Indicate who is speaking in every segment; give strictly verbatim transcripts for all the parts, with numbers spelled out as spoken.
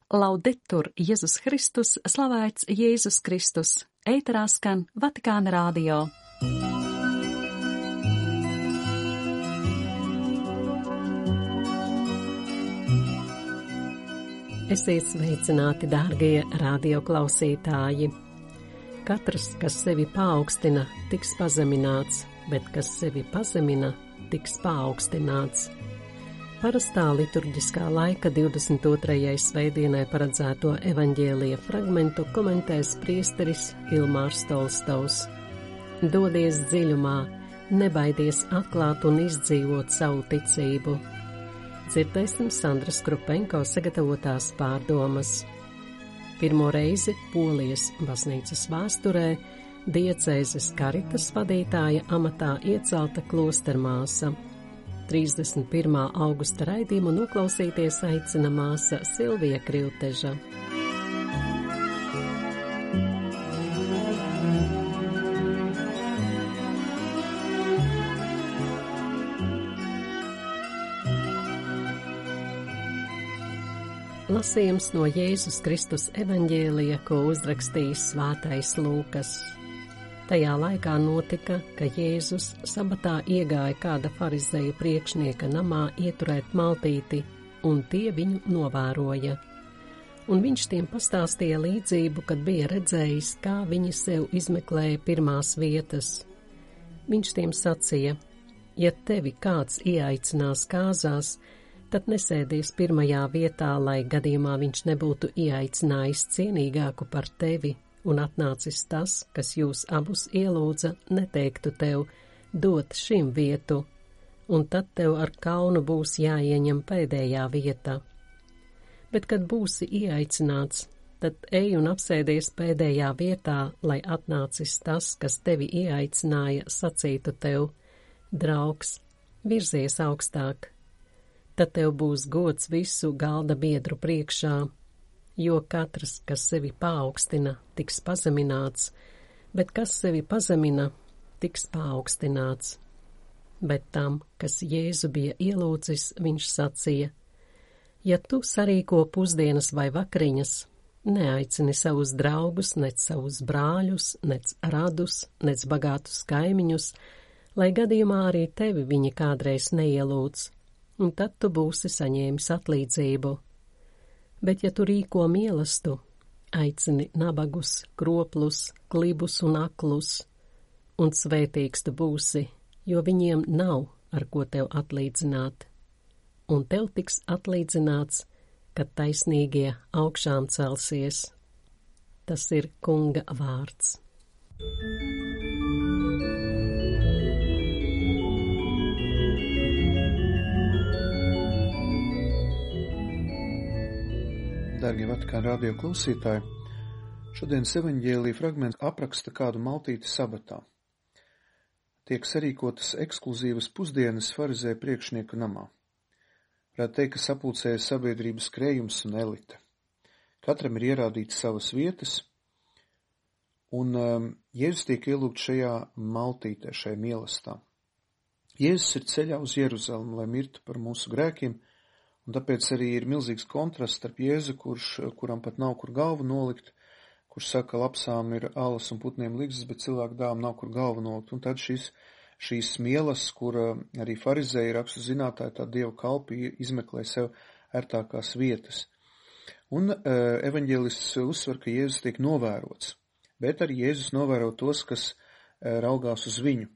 Speaker 1: Laudetur Jēzus Kristus, slavēts Jēzus Kristus, ēterā skan Vatikāna radio. Esiet sveicināti, dārgie radioklausītāji! Katrs, kas sevi paaugstina, tiks pazemināts, bet kas sevi pazemina, tiks paaugstināts. Parastā liturģiskā laika divdesmit otrajai svētdienai paredzēto evaņģēlija fragmentu komentēs priesteris Ilmārs Tolstovs. Dodies dziļumā, nebaidies atklāt un izdzīvot savu ticību. Dzirdēsim Sandras Krupenko sagatavotās pārdomas. Pirmo reizi Polijas baznīcas vēsturē diecēzes karitas vadītāja amatā iecelta klostermāsa. trīsdesmit pirmā augusta raidījumu noklausīties aicina māsa Silvija Krivteža. Lasījums no Jēzus Kristus evaņģēlija, ko uzrakstījis svētais Lūkas. Tajā laikā notika, ka Jēzus sabatā iegāja kāda farizeju priekšnieka namā ieturēt maltīti, un tie viņu novēroja. Un viņš tiem pastāstīja līdzību, kad bija redzējis, kā viņi sev izmeklēja pirmās vietas. Viņš tiem sacīja: ja tevi kāds ieaicinās kāzās, tad nesēdies pirmajā vietā, lai gadījumā viņš nebūtu ieaicinājis cienīgāku par tevi, un atnācis tas, kas jūs abus ielūdza, neteiktu tev dot šim vietu, un tad tev ar kaunu būs jāieņem pēdējā vieta. Bet, kad būsi ieaicināts, tad ej un apsēdies pēdējā vietā, lai atnācis tas, kas tevi ieaicināja, sacītu tev: draugs, virzies augstāk. Tad tev būs gods visu galda biedru priekšā, jo katrs, kas sevi paaugstina, tiks pazemināts, bet kas sevi pazemina, tiks paaugstināts. Bet tam, kas Jēzu bija ielūdzis, viņš sacīja: ja tu sarīko pusdienas vai vakariņas, neaicini savus draugus, nec savus brāļus, nec radus, nec bagātus kaimiņus, lai gadījumā arī tevi viņi kādreiz neielūdz, un tad tu būsi saņēmis atlīdzību. Bet, ja tu rīko mīlestību, aicini nabagus, kroplus, klibus un aklus, un svētīgs tu būsi, jo viņiem nav, ar ko tev atlīdzināt, un tev tiks atlīdzināts, kad taisnīgie augšām celsies. Tas ir Kunga vārds.
Speaker 2: Dārgie Vatikāna radio klausītāji, šodienas evaņģēlija fragments apraksta kādu maltīti sabatā. Tiek sarīkotas ekskluzīvas pusdienas farizēju priekšnieku namā. Varētu teikt, ka sapulcēja sabiedrības krējums un elite. Katram ir ierādīts savas vietas, un um, Jēzus tiek ielūgts šajā maltītē, šai mīlestā. Jēzus ir ceļā uz Jeruzalemi, lai mirtu par mūsu grēkiem, un tāpēc arī ir milzīgs kontrasts starp Jēzu, kurš, kuram pat nav kur galvu nolikt, kurš saka, lapsām ir alas un putniem ligzdas, bet cilvēku dāvam nav kur galvu nolikt. Un tad šis, šīs mielas, kur arī farizēji rakstu zinātāji, tā dievu kalpi izmeklē sev ērtākās vietas. Un uh, evaņģēlists uzsver, ka Jēzus tiek novērots, bet arī Jēzus novēro tos, kas uh, raugās uz viņu.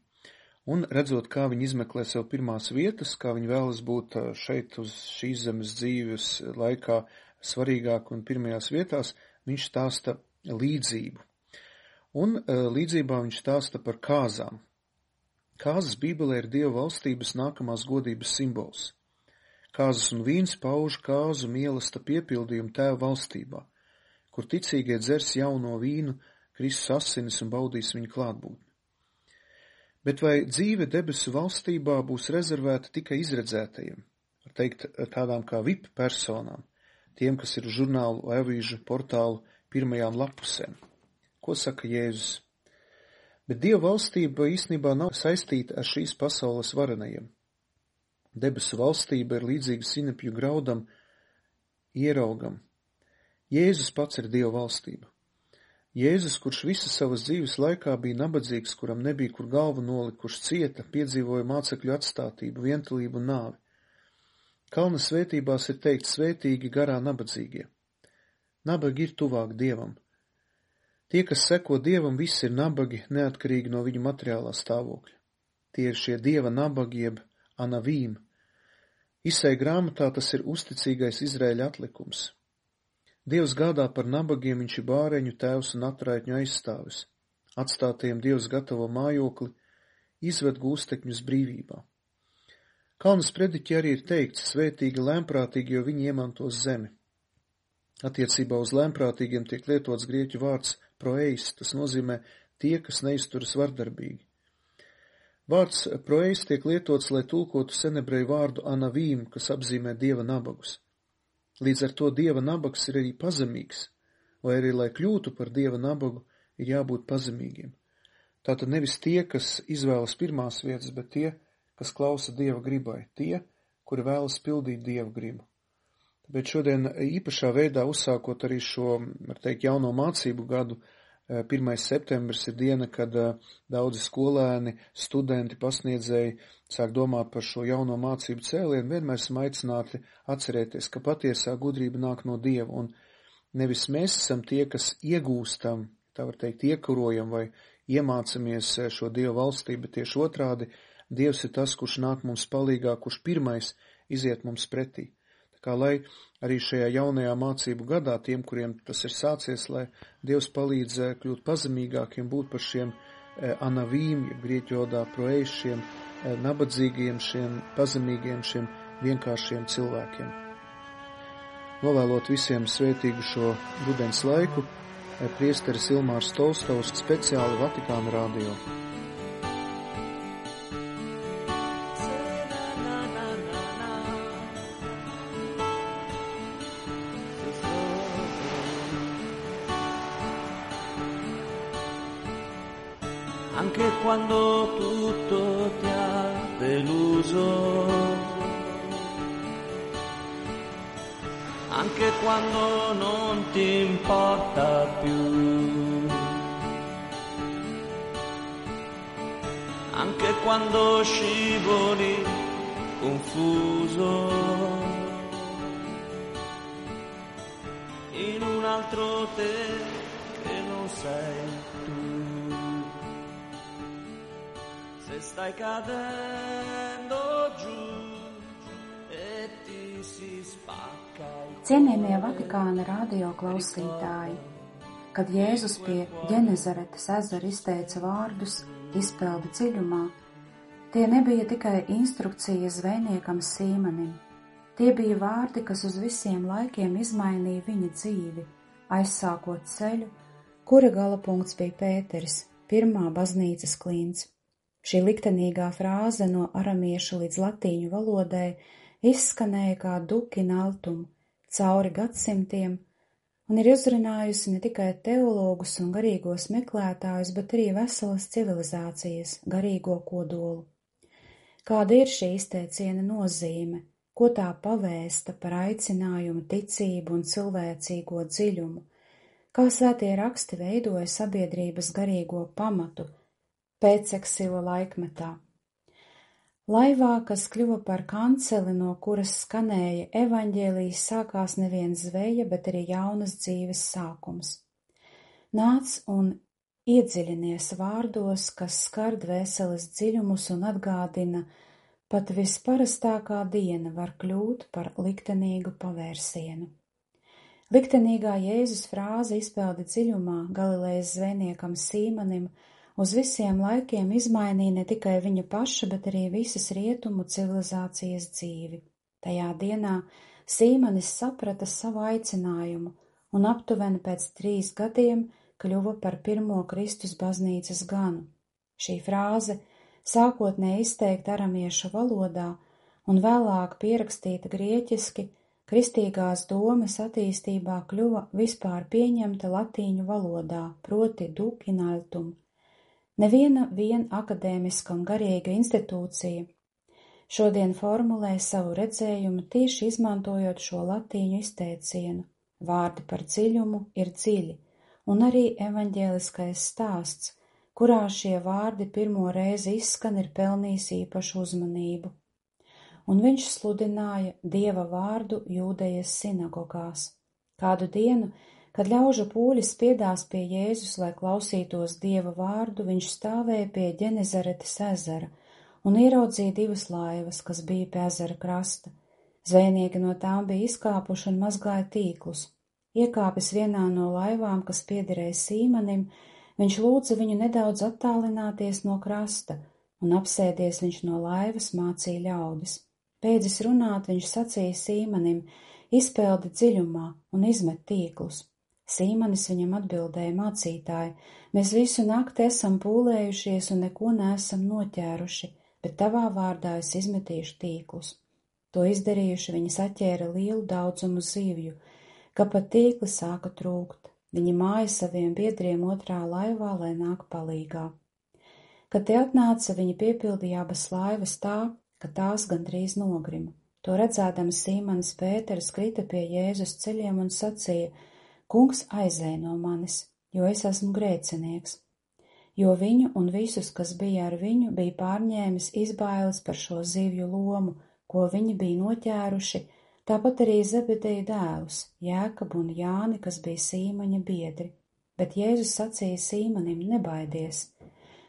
Speaker 2: Un redzot, kā viņi izmeklē sev pirmās vietas, kā viņi vēlas būt šeit uz šīs zemes dzīves laikā svarīgāk un pirmajās vietās, viņš stāsta līdzību. Un līdzībā viņš stāsta par kāzām. Kāzas Bībelē ir Dieva valstības nākamās godības simbols. Kāzas un vīns pauž kāzu mīlesta piepildījumu Tēva valstībā, kur ticīgie dzers jauno vīnu, Kristus asinis un baudīs viņu klātbūtni. Bet vai dzīve debesu valstībā būs rezervēta tikai izredzētajiem, var teikt tādām kā V I P personām, tiem, kas ir žurnālu vai avīžu portālu pirmajām lapusēm? Ko saka Jēzus? Bet Dieva valstība īstenībā nav saistīta ar šīs pasaules varenajiem. Debesu valstība ir līdzīga sinepju graudam, ieraugam, Jēzus pats ir Dieva valstība. Jēzus, kurš visas savas dzīves laikā bija nabadzīgs, kuram nebija kur galvu nolikt, kurš cieta, piedzīvoja mācekļu atstātību, vientulību un nāvi. Kalna svētībās ir teikt svētīgi garā nabadzīgie. Nabagi ir tuvāk Dievam. Tie, kas seko Dievam, visi ir nabagi, neatkarīgi no viņu materiālā stāvokļa. Tie ir šie Dieva nabagi jeb anavīm. Isai grāmatā tas ir uzticīgais Izraēļa atlikums. Dievs gādā par nabagiem, viņš ir bāreņu tēvs un atraitņu aizstāvis. Atstātajiem Dievs gatavo mājokli, izved gūstekņus brīvībā. Kalnas prediķi arī ir teikts, svētīgi lēmprātīgi, jo viņi iemantos zemi. Attiecībā uz lēmprātīgiem tiek lietots grieķu vārds proeis, tas nozīmē tie, kas neizturas vardarbīgi. Vārds proeis tiek lietots, lai tulkotu senebreju vārdu anavīm, kas apzīmē Dieva nabagus. Līdz ar to Dieva nabags ir arī pazemīgs, vai arī, lai kļūtu par Dieva nabagu, ir jābūt pazemīgiem. Tātad nevis tie, kas izvēlas pirmās vietas, bet tie, kas klausa Dieva gribai, tie, kuri vēlas pildīt Dieva gribu. Tāpēc šodien īpašā veidā uzsākot arī šo, var teikt, jauno mācību gadu, pirmais septembris ir diena, kad daudzi skolēni, studenti, pasniedzēji sāk domāt par šo jauno mācību cēlienu, vienmēr esam aicināti atcerēties, ka patiesā gudrība nāk no Dieva, un nevis mēs esam tie, kas iegūstam, tā var teikt, iekurojam vai iemācamies šo Dieva valstību, bet tieši otrādi, Dievs ir tas, kurš nāk mums palīgā, kurš pirmais iziet mums pretī. Kā lai arī šajā jaunajā mācību gadā tiem, kuriem tas ir sācies, lai Dievs palīdz kļūt pazemīgākiem, būt par šiem anavīm, ja grieķu valodā proeis, šiem nabadzīgiem, šiem pazemīgiem, šiem vienkāršiem cilvēkiem. Novēlot visiem svētīgu šo rudens laiku, priesteris Ilmārs Tolstovs speciāli Vatikāna radio.
Speaker 3: Anche quando tutto ti ha deluso, anche quando non ti importa più, anche quando scivoli confuso in un altro te che non sei tu. Stai cadendo giù e ti si spacca.
Speaker 4: Cienījamie Vatikāna radio klausītāji, kad Jēzus pie Ģenezaretes ezera izteica vārdus izpildi dziļumā, tie nebija tikai instrukcijas zvejniekam Sīmanim. Tie bija vārdi, kas uz visiem laikiem izmainīja viņa dzīvi, aizsākot ceļu, kura gala punkts bija Pēteris, pirmā baznīcas klints. Šī liktenīgā frāze no aramiešu līdz latīņu valodai izskanēja kā duc in altum cauri gadsimtiem un ir uzrunājusi ne tikai teologus un garīgos meklētājus, bet arī veselas civilizācijas garīgo kodolu. Kāda ir šī izteiciena nozīme, ko tā pavēsta par aicinājumu, ticību un cilvēcīgo dziļumu, kā svētie raksti veidoja sabiedrības garīgo pamatu pēceksila laikmetā. Laivā, kas kļuva par kanceli, no kuras skanēja evaņģēlijs, sākās nevien zveja, bet arī jaunas dzīves sākums. Nāc un iedziļinies vārdos, kas skar dvēseles dziļumus un atgādina, pat visparastākā diena var kļūt par liktenīgu pavērsienu. Liktenīgā Jēzus frāze izpildi dziļumā Galilejas zvejniekam Sīmanim uz visiem laikiem izmainīja ne tikai viņa paša, bet arī visas rietumu civilizācijas dzīvi. Tajā dienā Sīmanis saprata savu aicinājumu un aptuveni pēc trīs gadiem kļuva par pirmo Kristus baznīcas ganu. Šī frāze, sākotnēji izteikta aramiešu valodā un vēlāk pierakstīta grieķiski, kristīgās domas attīstībā kļuva vispār pieņemta latīņu valodā, proti duc in altum. Neviena vien akadēmiska un garīga institūcija šodien formulē savu redzējumu tieši izmantojot šo latīņu izteicienu vārdi par dziļumu ir dziļi, un arī evaņģēliskais stāsts, kurā šie vārdi pirmo reizi izskan, ir pelnījis īpašu uzmanību. Un viņš sludināja Dieva vārdu Jūdejas sinagogās. Kādu dienu, kad ļaužu pūļi spiedās pie Jēzus, lai klausītos Dieva vārdu, viņš stāvēja pie Ģenezaretes ezera un ieraudzīja divas laivas, kas bija pie ezera krasta. Zvejnieki no tām bija izkāpuši un mazgāja tīklus. Iekāpis vienā no laivām, kas piederēja Sīmanim, viņš lūdza viņu nedaudz attālināties no krasta, un apsēdies viņš no laivas mācīja ļaudis. Beidzis runāt, viņš sacīja Sīmanim: izpeldi dziļumā un izmet tīklus. Sīmanis viņam atbildēja: mācītāji, mēs visu nakti esam pūlējušies un neko neesam noķēruši, bet tavā vārdā es izmetīšu tīklus. To izdarījuši, viņi saķēra lielu daudzumu zivju, ka pat tīkli sāka trūkt. Viņi māja saviem biedriem otrā laivā, lai nāk palīgā. Kad te atnāca, viņi piepildīja abas laivas tā, ka tās gandrīz nogrima. To redzēdams Sīmanis Pēters krita pie Jēzus ceļiem un sacīja: Kungs, aizej no manis, jo es esmu grēcinieks. Jo viņu un visus, kas bija ar viņu, bija pārņēmis izbailes par šo zivju lomu, ko viņi bija noķēruši, tāpat arī Zebedeja dēlus, Jēkabu un Jāni, kas bija Sīmaņa biedri. Bet Jēzus sacīja Sīmanim: nebaidies,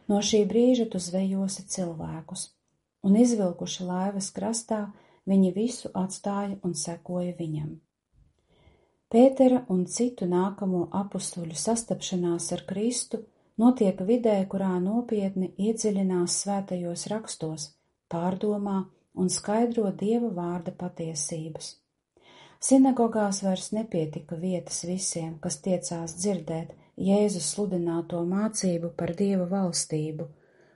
Speaker 4: no šī brīža tu zvejosi cilvēkus. Un izvilkuši laivas krastā, viņi visu atstāja un sekoja viņam. Pētera un citu nākamo apustuļu sastapšanās ar Kristu notiek vidē, kurā nopietni iedziļinās svētajos rakstos, pārdomā un skaidro Dieva vārda patiesības. Sinagogās vairs nepietika vietas visiem, kas tiecās dzirdēt Jēzus sludināto mācību par Dieva valstību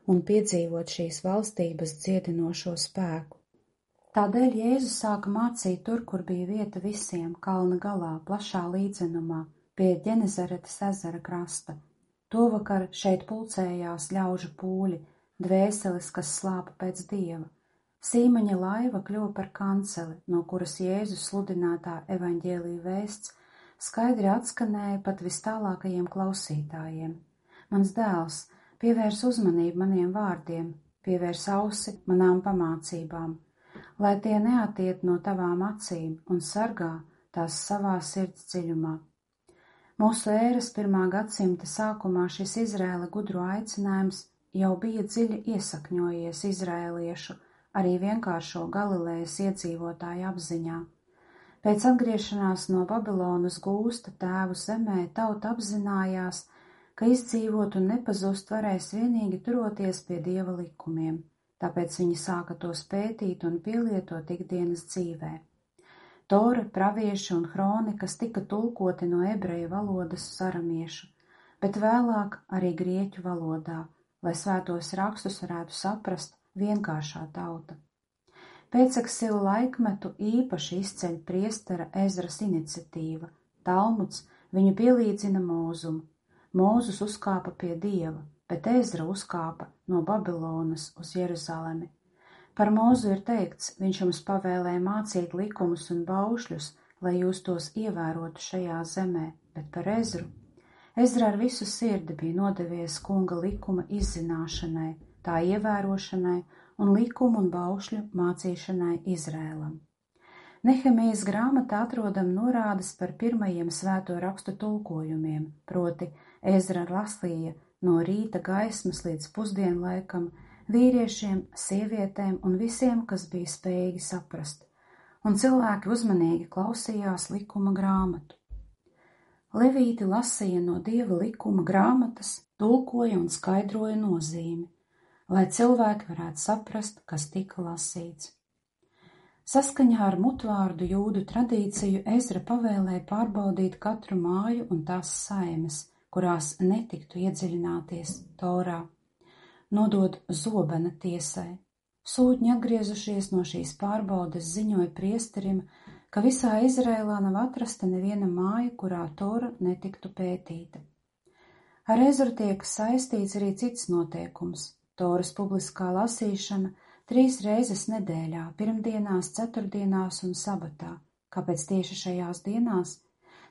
Speaker 4: un piedzīvot šīs valstības dziedinošo spēku. Tādēļ Jēzus sāka mācīt tur, kur bija vieta visiem, kalna galā, plašā līdzenumā, pie Ģenezaretes ezera krasta. Tovakar šeit pulcējās ļaužu pūļi, dvēseles, kas slāpa pēc Dieva. Sīmaņa laiva kļuva par kanceli, no kuras Jēzus sludinātā evaņģēlija vēsts skaidri atskanēja pat vistālākajiem klausītājiem. Mans dēls, pievērs uzmanību maniem vārdiem, pievērs ausi manām pamācībām, lai tie neatiet no tavām acīm un sargā tās savā sirds dziļumā. Mūsu ēras pirmā gadsimta sākumā šis Izraēla gudro aicinājums jau bija dziļi iesakņojies izraēliešu, arī vienkāršo Galilejas iedzīvotāju apziņā. Pēc atgriešanās no Babilonas gūsta tēvu zemē tauta apzinājās, ka izdzīvot un nepazust varēs vienīgi turoties pie Dieva likumiem, tāpēc viņi sāka tos pētīt un pielietot ikdienas dzīvē. Tora, pravieši un hronikas tika tulkoti no ebreju valodas uz aramiešu, bet vēlāk arī grieķu valodā, lai svētos rakstus varētu saprast vienkāršā tauta. Pēceksilu laikmetu īpaši izceļ priestera Ezras iniciatīva. Talmuds viņu pielīdzina Mūzum. Mūzus uzkāpa pie Dieva, bet Ezra uzkāpa no Babilonas uz Jeruzalemi. Par Mūzu ir teikts: viņš jums pavēlēja mācīt likumus un baušļus, lai jūs tos ievērotu šajā zemē, bet par Ezru. Ezra ar visu sirdi bija nodevies kunga likuma izzināšanai, tā ievērošanai un likumu un baušļu mācīšanai Izrēlam. Nehemijas grāmatā atrodam norādes par pirmajiem svēto rakstu tulkojumiem, proti Ezra lasīja no rīta gaismas līdz pusdienlaikam vīriešiem, sievietēm un visiem, kas bija spējīgi saprast, un cilvēki uzmanīgi klausījās likuma grāmatu. Levīti lasīja no Dieva likuma grāmatas, tulkoja un skaidroja nozīmi, lai cilvēki varētu saprast, kas tika lasīts. Saskaņā ar mutvārdu jūdu tradīciju Ezra pavēlēja pārbaudīt katru māju un tās saimes, kurās netiktu iedziļināties Torā, nodod zobena tiesai. Sūtņi atgriezušies no šīs pārbaudes ziņoja priesterim, ka visā Izrēlā nav atrasta neviena māja, kurā Tora netiktu pētīta. Ar Ezru tiek saistīts arī cits noteikums. Toras publiskā lasīšana trīs reizes nedēļā, pirmdienās, ceturtdienās un sabatā. Kāpēc tieši šajās dienās?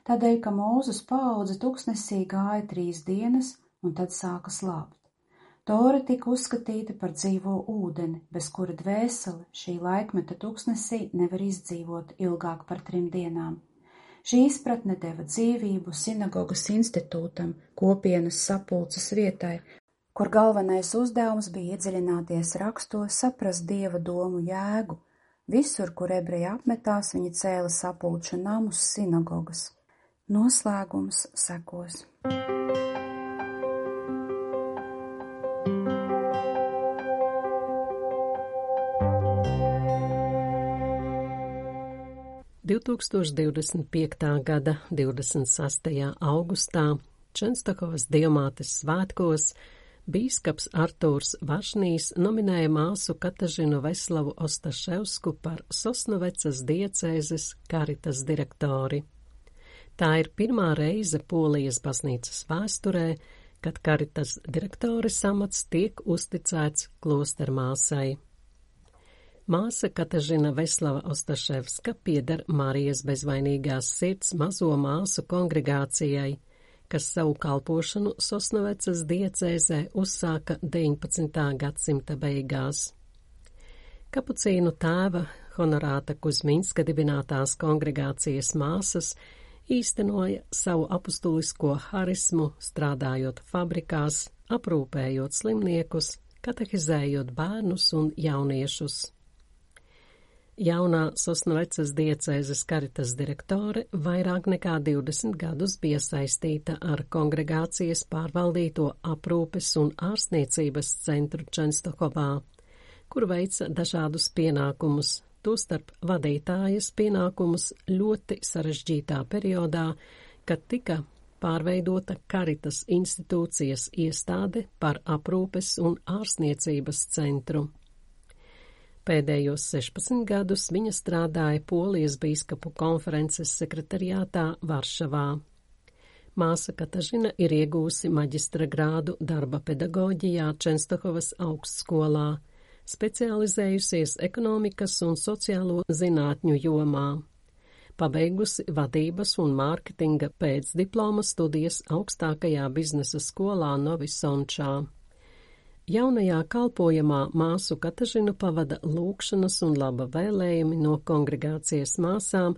Speaker 4: tādēļ, ka Mūzes paudze tuksnesī gāja trīs dienas un tad sāka slāpt. Tora tika uzskatīta par dzīvo ūdeni, bez kura dvēsele šī laikmeta tuksnesī nevar izdzīvot ilgāk par trim dienām. Šī izpratne deva dzīvību sinagogas institūtam, kopienas sapulces vietai, kur galvenais uzdevums bija iedziļināties rakstos, saprast Dieva domu jēgu. Visur, kur ebreji apmetās, viņi cēla sapulču namus, sinagogas. Noslēgums sekos.
Speaker 1: divtūkstoš divdesmit piektā gada divdesmit sastajā augustā Čenstohovas Dievmātes svētkos bīskaps Artūrs Vašnīs nominēja māsu Katažinu Veslavu Ostaševsku par Sosnovecas diecēzes Karitas direktori. Tā ir pirmā reize Polijas baznīcas vēsturē, kad Karitas direktoris amats tiek uzticēts klostermāsai. Māsa Katažina Veslava Ostaševska pieder Marijas bezvainīgās sirds mazo māsu kongregācijai, kas savu kalpošanu Sosnovecas diecēzē uzsāka deviņpadsmitā gadsimta beigās. Kapucīnu tēva Honorāta Kuzminska dibinātās kongregācijas māsas īstenoja savu apustulisko harismu, strādājot fabrikās, aprūpējot slimniekus, katehizējot bērnus un jauniešus. Jaunā Sosnovecas diecēzes Karitas direktore vairāk nekā divdesmit gadus bija saistīta ar kongregācijas pārvaldīto aprūpes un ārstniecības centru Čenstohovā, kur veica dažādus pienākumus, tostarp vadītājas pienākumus ļoti sarežģītā periodā, kad tika pārveidota Karitas institūcijas iestāde par aprūpes un ārstniecības centru. Pēdējos sešpadsmit gadus viņa strādāja Polijas bīskapu konferences sekretariātā Varšavā. Māsa Katažina ir iegūsi maģistra grādu darba pedagoģijā Čenstohovas augstskolā, specializējusies ekonomikas un sociālo zinātņu jomā. Pabeigusi vadības un mārketinga pēcdiploma studijas augstākajā biznesa skolā Novi Sončā. Jaunajā kalpojamā māsu Katažinu pavada lūgšanas un laba vēlējumi no kongregācijas māsām,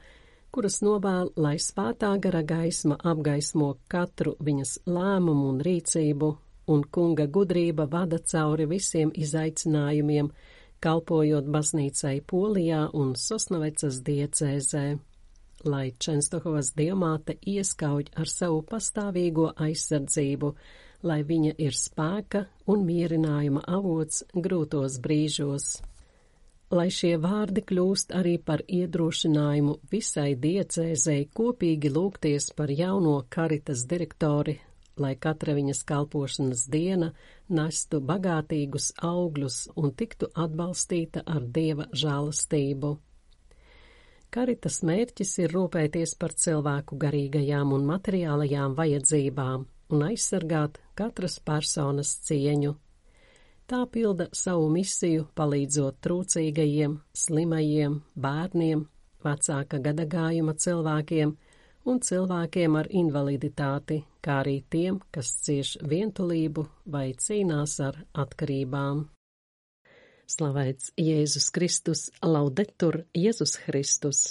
Speaker 1: kuras novēl, lai svētā gara gaisma apgaismo katru viņas lēmumu un rīcību, un kunga gudrība vada cauri visiem izaicinājumiem, kalpojot baznīcai Polijā un Sosnovecas diecēzē, lai Čenstohovas Dievmāte ieskauj ar savu pastāvīgo aizsardzību, lai viņa ir spēka un mierinājuma avots grūtos brīžos. Lai šie vārdi kļūst arī par iedrošinājumu visai diecēzei kopīgi lūgties par jauno Karitas direktori, lai katra viņas kalpošanas diena nestu bagātīgus augļus un tiktu atbalstīta ar Dieva žēlastību. Karitas mērķis ir rūpēties par cilvēku garīgajām un materiālajām vajadzībām un aizsargāt katras personas cieņu. Tā pilda savu misiju, palīdzot trūcīgajiem, slimajiem, bērniem, vecāka gadagājuma cilvēkiem un cilvēkiem ar invaliditāti, kā arī tiem, kas cieš vientulību vai cīnās ar atkarībām. Slavēts Jēzus Kristus, laudetur Jēzus Kristus!